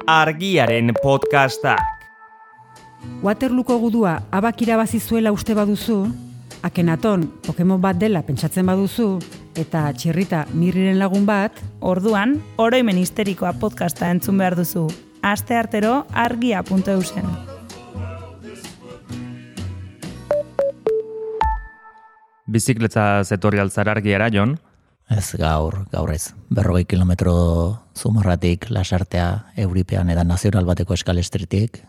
Argiaren podcastak. Waterlooko gudua abak irabazi zuela uste baduzu, Akenaton Pokemon bat dela pentsatzen baduzu, eta Txirrita Mirriren lagun bat, orduan, oroimen histerikoa podcasta entzun behar duzu. Asteartero argia.eusen. Bizikleta zetorri altzara Argiara, Jon? Ez, gaur ez. 40 kilometro Zumarratik, Lasartea, Euripean edan nazional bateko eskalestritik.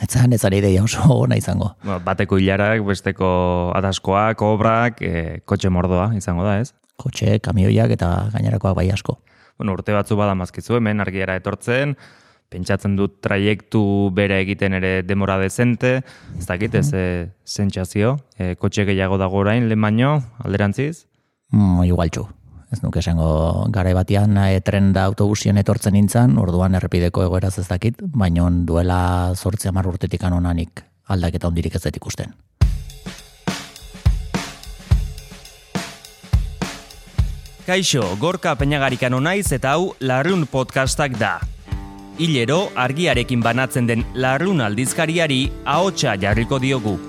Ez ari ideia oso ona izango. Bateko hilarak, besteko adaskoak, obrak, kotxe mordoa izango da, ez? Kotxe, kamioiak eta gainerakoak bai asko. Urte batzu badamazkizu hemen Argiara etortzen, pentsatzen dut traiektu bere egiten ere demora dezente, ez dakit, sentsazio, kotxe gehiago dago orain, lehen baino, alderantziz? Igualtxu. Ez nuke esango garai batean tren da autobusien etortzen nintzen, orduan errepideko egoeraz ez dakit, baina duela 8-10 urtetik anonanik aldaketa hondirik ez dut ikusten. Kaixo, Gorka Peñagarikano naiz eta hau Larrun podcastak da. Hilero, Argiarekin banatzen den Larrun aldizkariari ahotsa jarriko diogu.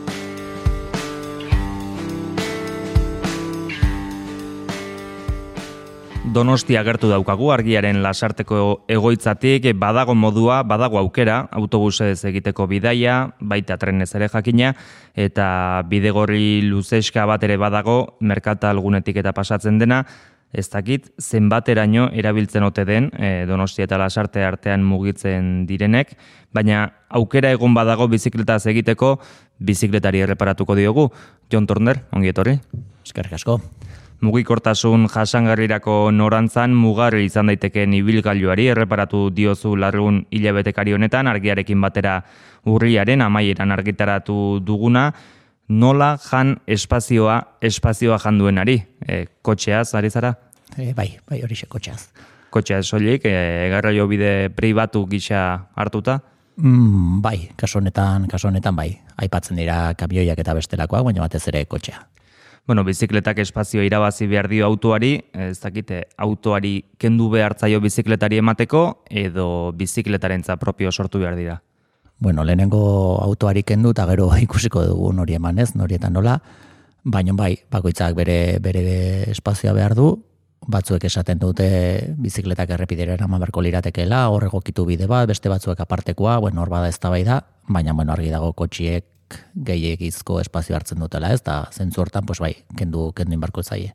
Donostia agertu daukagu Argiaren Lasarteko egoitzatik, badago modua, badago aukera, autobusez egiteko bidaia, baita trenez ere jakina, eta bidegorri luzeska bat ere badago, merkatal gunetik eta pasatzen dena, ez dakit zenbateraino erabiltzen ote den Donostia eta Lasarte artean mugitzen direnek, baina aukera egon badago bizikletaz egiteko, bizikletari erreparatuko diogu. Jon Turner, ongi etorri. Eskerrik asko. Mugikortasun jasangarrirako norantzan mugarri izan daitekeen ibilgailuari erreparatu diozu Larrun hilabetekari honetan, Argiarekin batera urriaren amaieran argitaratu duguna, nola jan espazioa jan duenari, kotxeaz, ari zara? Bai, horixe kotxeaz. Kotxeaz soilik, garraio bide pribatu gisa hartuta? Bai, kasu honetan bai. Aipatzen dira kamioiak eta bestelakoak, baina batez ere kotxea. Bizikletak espazio irabazi behar dio autoari, ez dakite, autoari kendu behartzaio bizikletari emateko, edo bizikletarentza propio sortu behar dira? Lehenengo autoari kendu eta gero ikusiko dugu nori emanez, norietan nola, baina bai, bakoitzak bere espazioa behar du, batzuek esaten dute bizikletak errepidera eraman beharko liratekeela, hor egokitu bide bat, beste batzuek apartekoa, hor bada eztabaida, baina argi dago kotxiek gehiegizko espazio hartzen dutela, ez da zentzu hortan, bai, kendu inbarko zaie.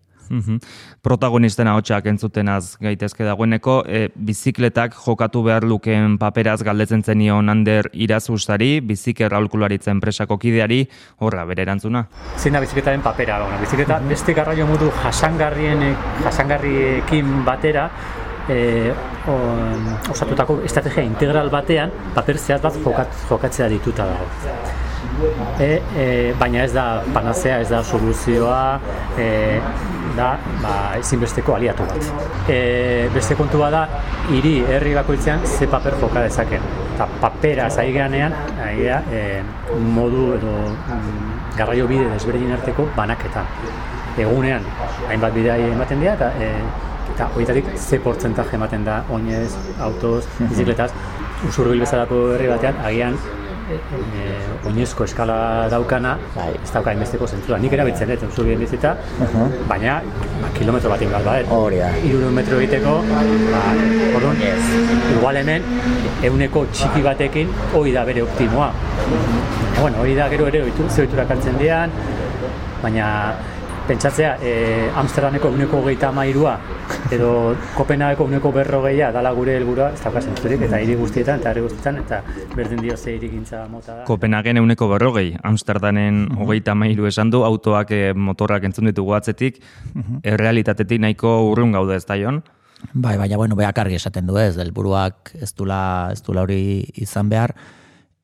Protagonisten ahotsak entzutenaz gaitezke dagoeneko, bizikletak jokatu behar lukeen paperaz galdetzen zenion Ander Irazustari, biziker aholkularitza enpresako kideari, horra bere erantzuna. Zein da bizikletaren papera? Bizikleta beste garraio modu jasangarriekin batera, osatutako estrategia integral batean paper zehaz bat jokatzea dituta dago. Baina ez da panazea, ez da soluzioa, da ezinbesteko aliatu bat. Beste kontua da, herri bakoitzean ze paper joka dezaken. Eta papera zaigeanean, modu edo garraio bide desberdin arteko banaketan. Egunean, hainbat bidea ematen dira, eta horietatik ze portzentaje ematen da oinez, autoz, bizikletaz. Usurbil bezalako herri batean, agian oinezko eskala daukana, ez dauka hainbesteko zentzua. Nik erabiltzen dut Usurbilen bizita, baina kilometro bat ingal badet. 300 metro egiteko, orduan, igual hemen, 100 txiki batekin, hori da bere optimoa. Hori da gero ere zehiturak hartzen dian, baina pentsatzea, Amsterdameko 133 edo Kopenhageko 140 dala gure helburua, ez dauka zentzurik, eta hiri guztietan, eta berdin dio ze hirigintza mota da. Kopenhagen 140, Amsterdamen 33 esan du, autoak, motorrak entzun ditugu atzetik, errealitatetik nahiko urrun gaude, ez da, Jon? Bai, baina, beak argi esaten du ez, helburuak ez dula hori izan behar.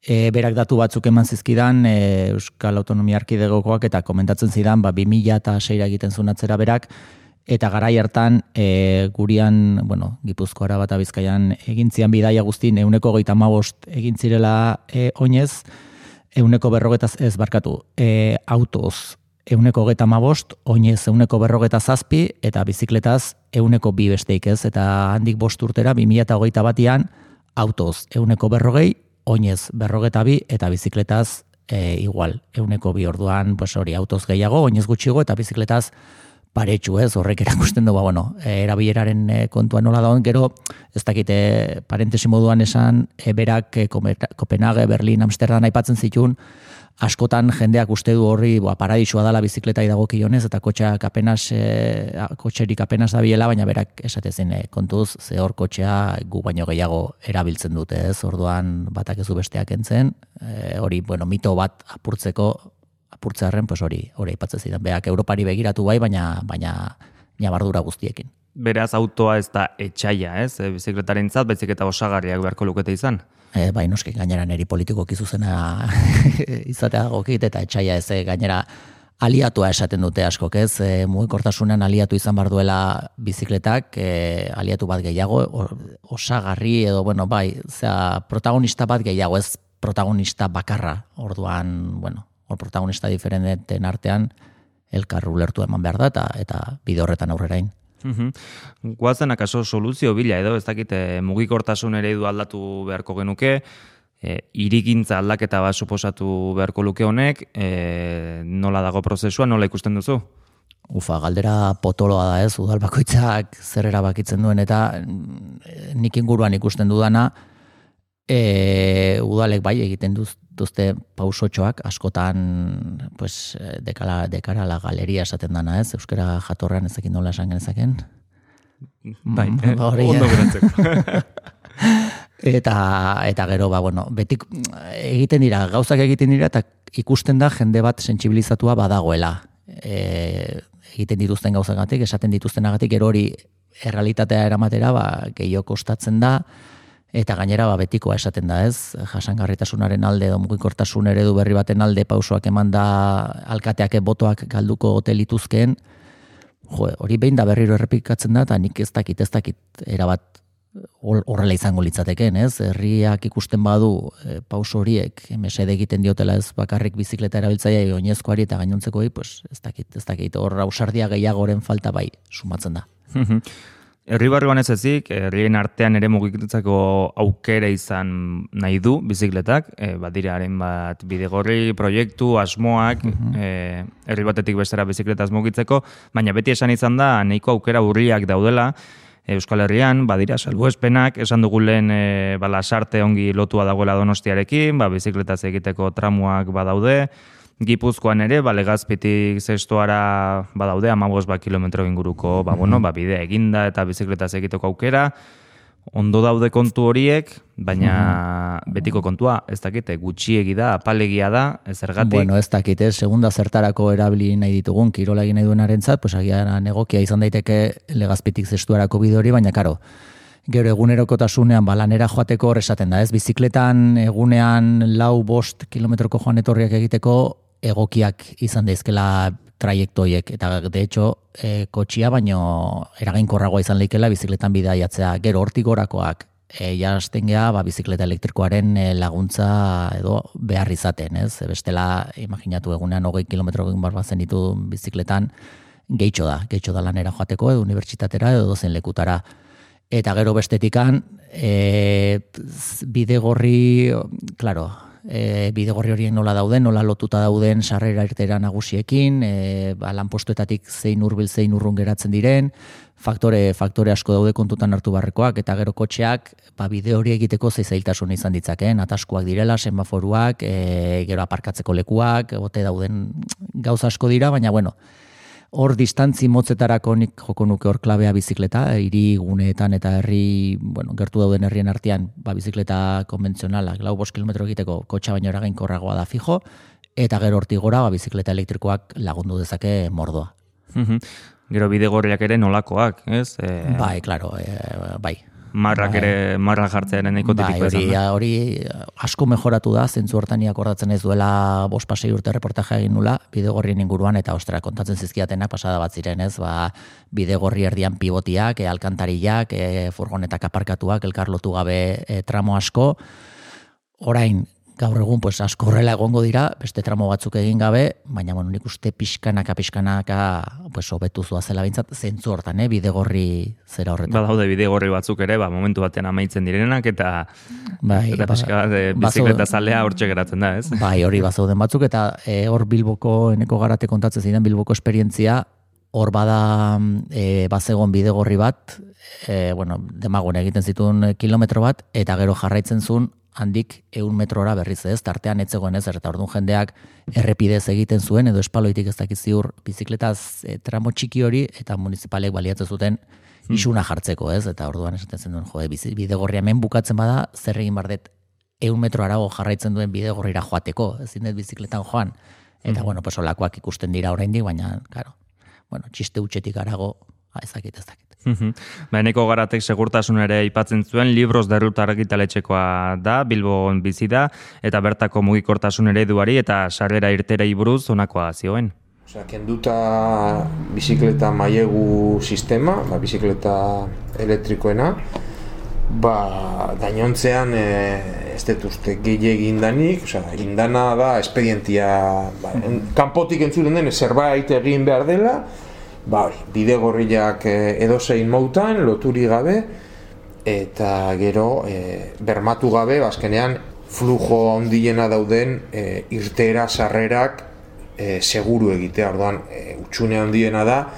Berak datu batzuk eman zizkidan Euskal Autonomia Erkidegokoak eta komentatzen zidan 2006 egiten zuen atzera berak, eta garai hartan gurian, Gipuzkoara bat Bizkaian egin zian bidaia guztin 135 egin zirela oinez, 140 autoz 135, oinez 147 eta bizikletaz 102 besteik ez, eta handik 5 urtera 2021an autoz 140, oinez 42 eta bizikletaz igual, 102 orduan, pues hori, autoz gehiago, oinez gutxiago eta bizikletaz paretxu, ez, horrek erakusten du, erabileraren kontua nola dagoen, gero, ez dakite, parentesi moduan esan, berak Kopenhague, Berlin, Amsterdam aipatzen zituen, askotan jendeak uste du horri paradisua dala bizikletai dagokionez eta kotxerik apenas dabiela, baina berak esatezen kontuz, ze hor kotxea gu baino gehiago erabiltzen dute, ez? Orduan batak ez du besteak entzen, hori, mito bat apurtzearen, pues hori aipatzen zidan. Beak Europari begiratu bai, baina ñabardura guztiekin. Beraz, autoa ez da etxaia, ez? Bizikletaren baizik eta osagarriak beharko lukete izan. Bai, noski, gainera neri politikoki zuzena izatea gokit, eta etxaia ez, gainera aliatua esaten dute askok, ez? Mugikortasunean aliatu izan bar duela bizikletak, aliatu bat gehiago, osagarri edo, protagonista bat gehiago, ez protagonista bakarra. Orduan, hor protagonista diferenten artean, elkar ulertu eman behar da, eta bide horretan aurrerain. Guazen akaso soluzio bila edo, ez dakite mugikortasun eredu aldatu beharko genuke, hirigintza aldaketa bat suposatu beharko luke honek, nola dago prozesua, nola ikusten duzu? Galdera potoloa da, ez, udal bakoitzak zer erabakitzen duen, eta nik inguruan ikusten dudana, udalek bai egiten duzte pausotxoak, askotan pues, dekara la galeria esaten dana, ez? Euskara jatorrean ezekin nola esan genezaken. Bai, ondo berantzeko. Eta gero, betik egiten dira, gauzak egiten dira, eta ikusten da jende bat sentsibilizatua badagoela. Egiten dituzten gauzagatik, esaten dituztenagatik, gero hori errealitatea eramatera, gehiago kostatzen da, eta gainera betikoa esaten da, ez? Jasangarritasunaren alde edo mugikortasun eredu berri baten alde pausoak eman da alkateak botoak galduko ote lituzkeen. Hori behin da berriro errepikatzen da, eta nik ez dakit erabat horrela izango litzateken, ez? Herriak ikusten badu pauso horiek mesede egiten diotela, ez bakarrik bizikleta erabiltzaile oinezkoari eta gainontzekoi, pues ez dakit hor ausardia gehiagoren falta bai sumatzen da. Herri barruan ez ezik, herrien artean ere mugitzeko aukera izan nahi du bizikletak, badiraren bat bidegorri, proiektu, asmoak, herri batetik bestera bizikletaz mugitzeko, baina beti esan izan da, nahiko aukera urriak daudela, Euskal Herrian, badira salbuespenak, esan dugu lehen lasarte ongi lotua dagoela Donostiarekin, bizikletaz egiteko tramuak badaude, Gipuzkoan ere, Legazpitik Zestoara badaude, 15 kilometro inguruko, bide eginda eta bizikletaz egiteko aukera, ondo daude kontu horiek, baina betiko kontua, ez dakite, gutxiegi da, apalegia da, zergatik. Ez dakite, segunda zertarako erabili nahi ditugun, kirola egin nahi duenarentzat, pues agian egokia izan daiteke Legazpitik Zestoarako bide hori, baina karo, gero egunerokotasunean lanera joateko hor esaten da, ez bizikletan egunean 4-5 kilometroko joan etorriak egiteko egokiak izan daizkela traiektoiek, eta de hecho kotxia baino eraginkorragoa izan leikela bizikletan bidaiatzea, gero hortik gorakoak jasten gea bizikleta elektrikoaren laguntza edo behar izaten, ez? Bestela, imaginatu egunean 20 kilometro egin barbazen ditu bizikletan, gehitxo da lanera joateko edo unibertsitatera edo dozen lekutara. Eta gero bestetikan, bidegorri, bidegorri horien nola dauden, nola lotuta dauden sarrera irtera nagusiekin, lanpostuetatik zein hurbil zein urrun geratzen diren, faktore asko daude kontutan hartu barrekoak, eta gero kotxeak bide hori egiteko zailtasun izan ditzakeen, ataskuak direla, semaforuak, gero aparkatzeko lekuak, ote dauden gauza asko dira, baina hor distantzi motzetarako nik joko nuke hor klabea bizikleta, hiri guneetan eta herri, gertu dauden herrien artean, bizikleta konbentzionalak, 4-5 kilometro egiteko kotxa baino eraginkorragoa da fijo, eta gero hortik gora, bizikleta elektrikoak lagundu dezake mordoa. Gero bidegorriak ere nolakoak, ez? Bai, klaro, bai. Marrak ere, marra jartzearen nahiko tipiko esan da. Hori asko mejoratu da, zentzu hortan akordatzen ez duela 5-6 urte reportaje egin nula, bidegorrien inguruan, eta ostera, kontatzen zizkiatenak pasada bat ziren, ez? Bidegorri erdian pivotiak, alkantarillak, furgonetak aparkatuak, elkarlotu gabe tramo asko, orain, gaur egun pues asko horrela egongo dira, beste tramo batzuk egin gabe, baina bueno, nik uste pixkanaka pues hobetu zela behintzat zentzu hortan, bidegorri zera horretan. Badaude bidegorri batzuk ere, momentu batean amaitzen direnak eta pixka bizikleta zalea hortxe geratzen da, ez? Bai, hori bazauden batzuk eta hor Bilboko eneko garate kontatzen ziren Bilboko esperientzia, hor bada bazegon bidegorri bat, demagun egiten zituen kilometro bat, eta gero jarraitzen zuen handik 100 metrora berriz ez, tartean etzegoen ez, eta orduan jendeak errepidez egiten zuen, edo espaloitik ez dakiz ziur bizikletaz tramo txiki hori, eta municipalek baliatzen zuten isuna jartzeko ez, eta orduan esaten zen duen, bidegorria hemen bukatzen bada, zer egin bardet 100 metro arago jarraitzen duen bidegorrira joateko, ezin dut bizikletan joan, eta pues olakoak ikusten dira oraindik, baina, claro, txiste utxetik arago, ezakit. Eneko Garatek segurtasun ere aipatzen zuen, Libros de Ruta argitaletxekoa da, Bilbon bizi da, eta bertako mugikortasun ereduari eta sarrera irterei buruz honakoa zioen. Kenduta bizikleta mailegu sistema, bizikleta elektrikoena, gainontzean ez dut uste gehiagin indanik, indana da espedientia, kanpotik entzuten den zerbait egin behar dela, bidegorriak edozein moutan, loturi gabe, eta gero bermatu gabe, azkenean flujo handiena dauden irteera sarrerak seguru egitea, orduan utxune handiena da,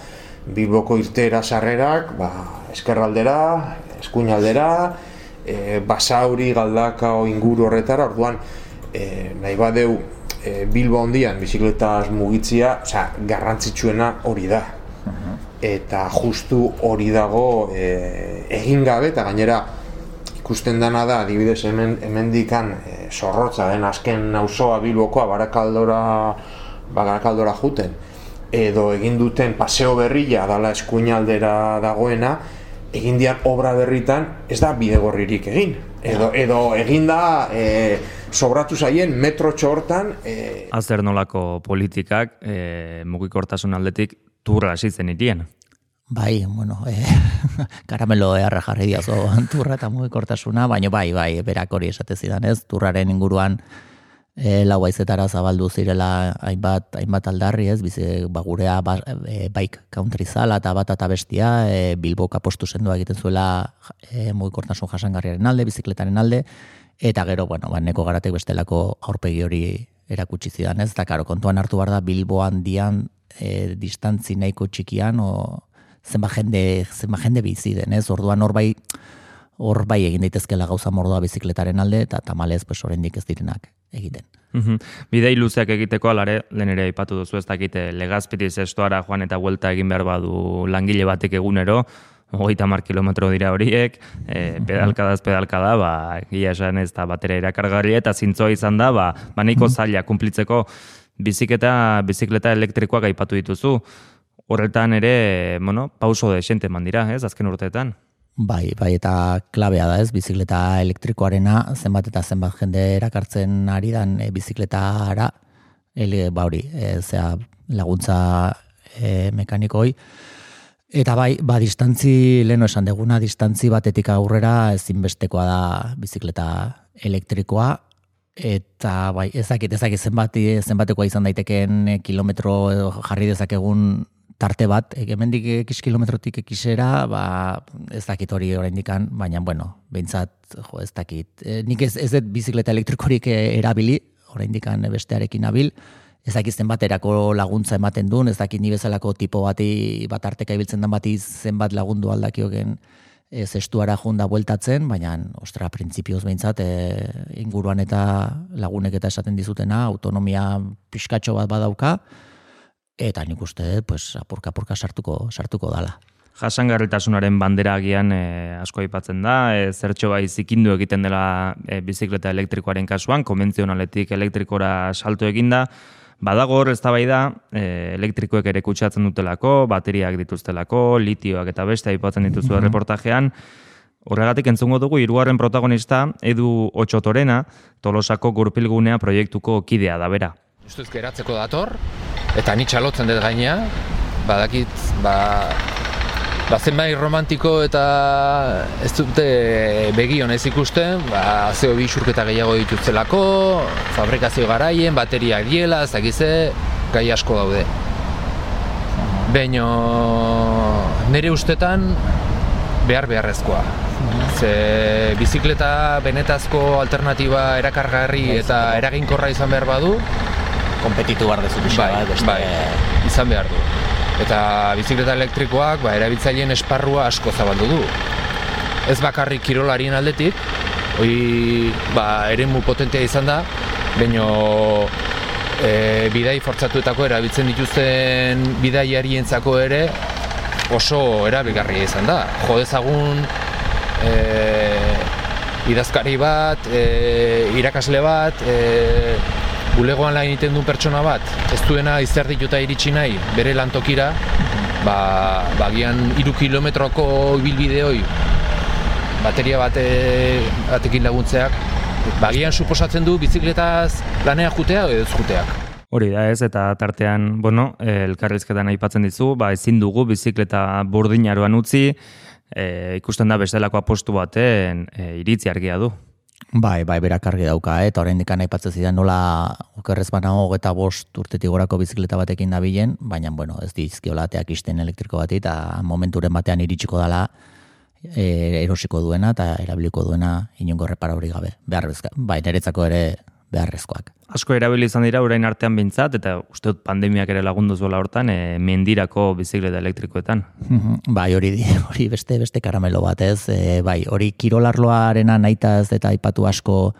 Bilboko irteera sarrerak, eskerraldera, eskuinaldera, Basauri, Galdakao inguru horretara, orduan nahi badeu Bilbo handian bizikletaz mugitzia, garrantzitsuena hori da. Eta justu hori dago egin gabe, eta gainera ikusten dana da, adibidez hemendikan zorrotza den azken auzoa Bilbokoa Barakaldora juten, edo egin duten paseo berria dala eskuinaldera dagoena, egin dian obra berritan ez da bidegorririk egin. Edo egin da sobratu zaien metrotxo hortan. Azer nolako politikak mugikortasun aldetik turra hasi zen irien. Bai, karamelo eharra jarri diazo turra eta mugikortasuna, baina bai, berak hori esate zidan ez, turraren inguruan lau haizetara zabaldu zirela hainbat aldarri ez, gurea bike country zala eta bat eta bestia, Bilbok apostu sendua egiten zuela mugikortasun jasangarriaren alde, bizikletaren alde, eta gero, Eneko Garatek bestelako aurpegi hori erakutsi zidan ez, eta karo, kontuan hartu behar da Bilbo handian distantzi nahiko txikian, zenba jende bizi den, ez? Orduan hor bai egin daitezkela gauza mordoa bizikletaren alde, eta tamalez oraindik ez direnak egiten. Bidei luzeak egiteko alare, lehen ere aipatu duzu ez dakite, Legazpiriz estuara joan eta vuelta egin behar badu langile batek egunero, 30 kilometro dira horiek, pedalkada, gila esan ez da batera erakargarri, eta zintzoa izan da, nahiko zaila kumplitzeko bizikleta elektrikoak aipatu dituzu. Horretan ere, pauso desente eman dira, ez, azken urteetan. Bai, eta klabea da ez, bizikleta elektrikoarena, zenbat eta zenbat jende erakartzen ari dan bizikletara, laguntza mekanikoi, eta distantzi, leheno esan deguna, distantzi batetik aurrera ezinbestekoa da bizikleta elektrikoa, eta ezakit zenbatekoa izan daiteken kilometro jarri dezakegun tarte bat, hemendik x kilometrotik xera, ez dakit hori oraindikan, baina, behintzat, ez dakit. Nik ez dut bizikleta elektrikorik erabili, oraindikan bestearekin abil, ez dakit zenbaterako laguntza ematen duen, ez dakit ni bezalako tipo bat arteka ibiltzen den bati zenbat lagundu aldakiogen zestuara junda bueltatzen, baina, printzipioz behintzat, inguruan eta lagunek eta esaten dizutena, autonomia pixkatxo bat badauka, eta nik uste, apurka sartuko dala. Jasangarritasunaren bandera agian asko aipatzen da, zertxo bai zikindu egiten dela bizikleta elektrikoaren kasuan, konbentzionaletik elektrikora salto eginda, badago hor eztabaida elektrikoek ere kutsatzen dutelako, bateriak dituztelako, litioak eta beste aipatzen dituzu reportajean. Horregatik entzungo dugu hirugarren protagonista, Edu Otxotorena, Tolosako Gurpilgunea proiektuko kidea da bera. Ustuz geratzeko dator, eta ni txalotzen dut gainea, badakit, zenbait romantiko eta ez dute begi honez ikusten, CO2 isurketa gehiago dituztelako, fabrikazio garaien, bateriak diela, ez dakize, gai asko daude. Baina nire ustetan beharrezkoa. Ze bizikleta benetazko alternatiba erakargarri eta eraginkorra izan behar badu, Kompetitu behar dezu pixka bat. Bai, izan behar du. Eta bizikleta elektrikoak erabiltzaileen esparrua asko zabaldu du. Ez bakarrik kirolarien aldetik, eremu potentea izan da, baina bidai fortzatuetako erabiltzen dituzten bidaiarientzako ere oso erabilgarria izan da. Jo dezagun idazkari bat, irakasle bat, bulegoan lan egiten duen pertsona bat, ez duena izerdituta iritsi nahi bere lantokira, agian 3 kilometroko ibilbideoi bateria batekin laguntzeak, agian suposatzen du bizikletaz lanea jutea edo ez juteak. Hori da ez, eta tartean, elkarrizketan aipatzen dizu, ezin dugu bizikleta burdinaroan utzi, ikusten da bestelako apostu baten iritzi argia du. Bai, berak argi dauka, eta oraindik aipatzen zidan nola okerrez banago 25 urtetik gorako bizikleta batekin dabilen, baina ez dizkiola ateak isten elektriko bati, eta momenturen batean iritsiko dela erosiko duena eta erabiliko duena inongo reparauri gabe. Bai, niretzako ere beharrezkoak. Asko erabili izan dira orain artean behintzat, eta uste dut pandemiak ere lagundu zuela hortan, mendirako bizikleta elektrikoetan. Bai, hori beste karamelo bat ez, hori kirolarloarena nahitaz eta aipatu asko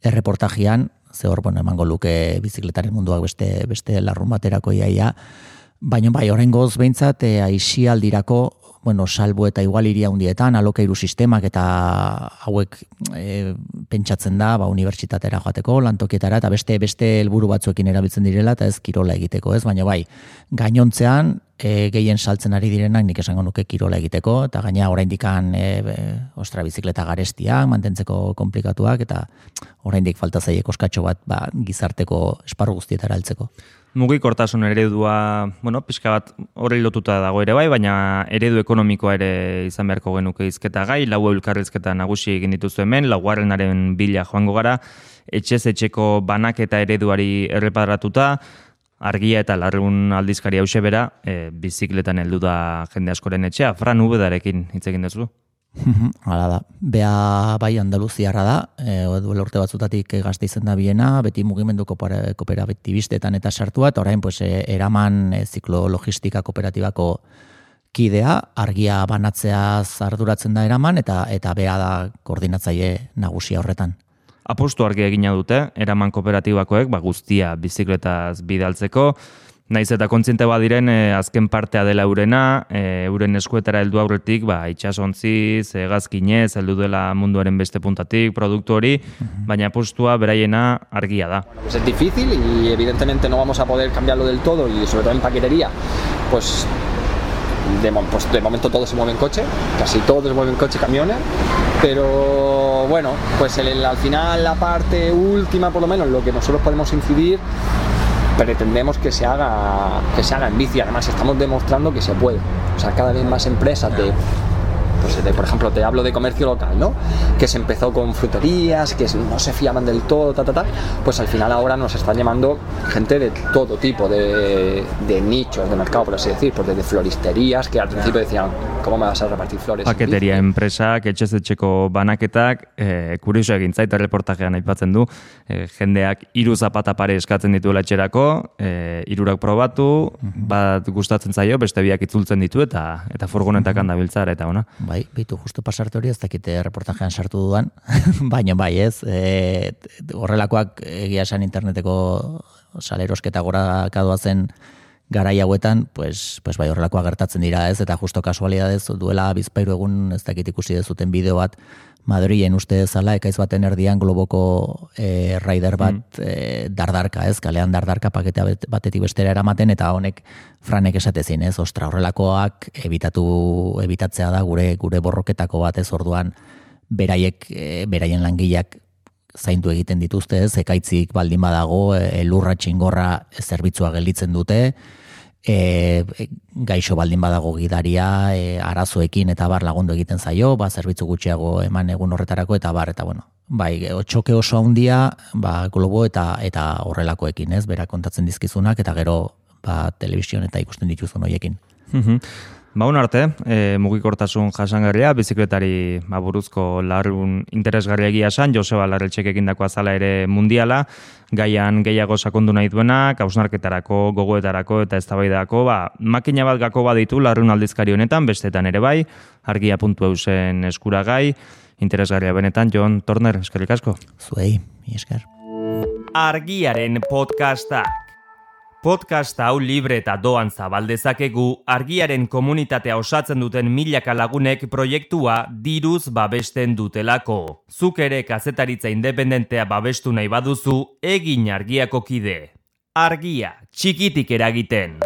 erreportajian, ze hor, emango luke bizikletaren munduak beste larrun baterako iaia, baina oraingoz behintzat aisialdirako, salbu eta igualiria hundietan, alokairu sistemak eta hauek pentsatzen da, unibertsitatera joateko, lantokietara, eta beste helburu batzuekin erabiltzen direla, eta ez kirola egiteko, ez? Baina gainontzean, gehien saltzen ari direnak nik esango nuke kirola egiteko, eta gaina oraindikan bizikleta garestiak, mantentzeko komplikatuak, eta oraindik falta zaie koskatxo bat gizarteko esparru guztietara heltzeko. Mugikortasun eredua, pixka bat horri lotuta dago ere bai, baina eredu ekonomikoa ere izan beharko genuke hizketa gai, 4 elkarrizketa nagusi egin dituzu hemen, 4. bila joango gara, etxez-etxeko banaketa ereduari erreparatuta, argia eta larrun aldizkari hause bera, bizikletan heldu da jende askoren etxea, Fran Ubedarekin hitz egin duzu. Hala da. Bea bai Andaluziarra da, duela urte batzutatik gazte izan da biena, beti mugimendu kooperatibistetan eta sartua, eta orain eraman ziklo-logistika kooperatibako kidea, argia banatzeaz arduratzen da eraman, eta bea da koordinatzaile nagusia horretan. Apostu argia egina dute, eraman kooperatibakoek, guztia bizikletaz bidaltzeko, naiz eta kontziente badiren azken partea dela eurena, euren eskuetara heldu aurretik, itxasontziz, hegazkinez, heldu dela munduaren beste puntatik, produktu hori, baina apostua beraiena argia da. Pues es difícil y evidentemente no vamos a poder cambiarlo del todo y sobre todo en paquetería, pues de momento todo se mueve en coche, casi todo se mueve en coche, camiones, pero bueno, pues al final la parte última por lo menos, lo que nosotros podemos incidir, pretendemos que se haga en bici. Además estamos demostrando que se puede, o sea, cada vez más empresas por ejemplo, te hablo de comercio local, ¿no? Que se empezó con fruterías, que no se fiaban del todo, pues al final ahora nos están llamando gente de todo tipo de nichos de mercado, por así decir, pues desde floristerías, que al principio decían, ¿cómo me vas a repartir flores? Paketeria enpresak, etxez-etxeko banaketak, kurioso egin zait reportajean aipatzen du, jendeak 3 zapata pare eskatzen dituela etxerako, 3 probatu, bat gustatzen zaio, beste biak itzultzen ditu, eta furgonetak handabiltzara, eta ona. Bai, bitu justu pasarte hori, ez dakite reportajean sartu dudan, baina bai ez, horrelakoak egia esan interneteko salerosketa gora kadoazen garai hauetan, pues bai horrelakoak gertatzen dira ez, eta justo kasualidadez duela bizpairu egun ez dakit ikusi dezuten bideo bat, Madrilen uste dezala, ekaiz baten erdian globoko rider bat dardarka, ez, kalean dardarka paketa batetik bestera eramaten, eta honek Franek esatezin, ez, ostra, horrelakoak ebitatzea da gure borroketako bat, ez, orduan beraien langileak zaindu egiten dituzte, ez, ekaitzik baldin badago, lurra txingorra zerbitzua gelditzen dute, gaixo baldin badago gidaria, arazoekin eta bar lagundu egiten zaio, zerbitzu gutxiago eman egun horretarako eta bar, eta bueno, bai, txoke oso handia, globo eta horrelakoekin, ez, berak kontatzen dizkizunak, eta gero, telebizion eta ikusten dituzun horiekin. Baun arte, mugikortasun jasangarria, bizikletari buruzko larrun interesgarria egia esan, Joseba Larreltxek egindako azala ere mundiala, gaian gehiago sakondu nahi duenak, hausnarketarako, gogoetarako eta eztabaidako, makina bat gako baditu larrun aldizkari honetan, bestetan ere bai, argia.eusen eskuragai, interesgarria benetan, Jon Torner, eskerrik asko. Zuei, esker. Argiaren podcastak. Podcast hau libre eta doan zabaldezakegu argiaren komunitatea osatzen duten milaka lagunek proiektua diruz babesten dutelako. Zuk ere kazetaritza independentea babestu nahi baduzu, egin argiako kide. Argia, txikitik eragiten.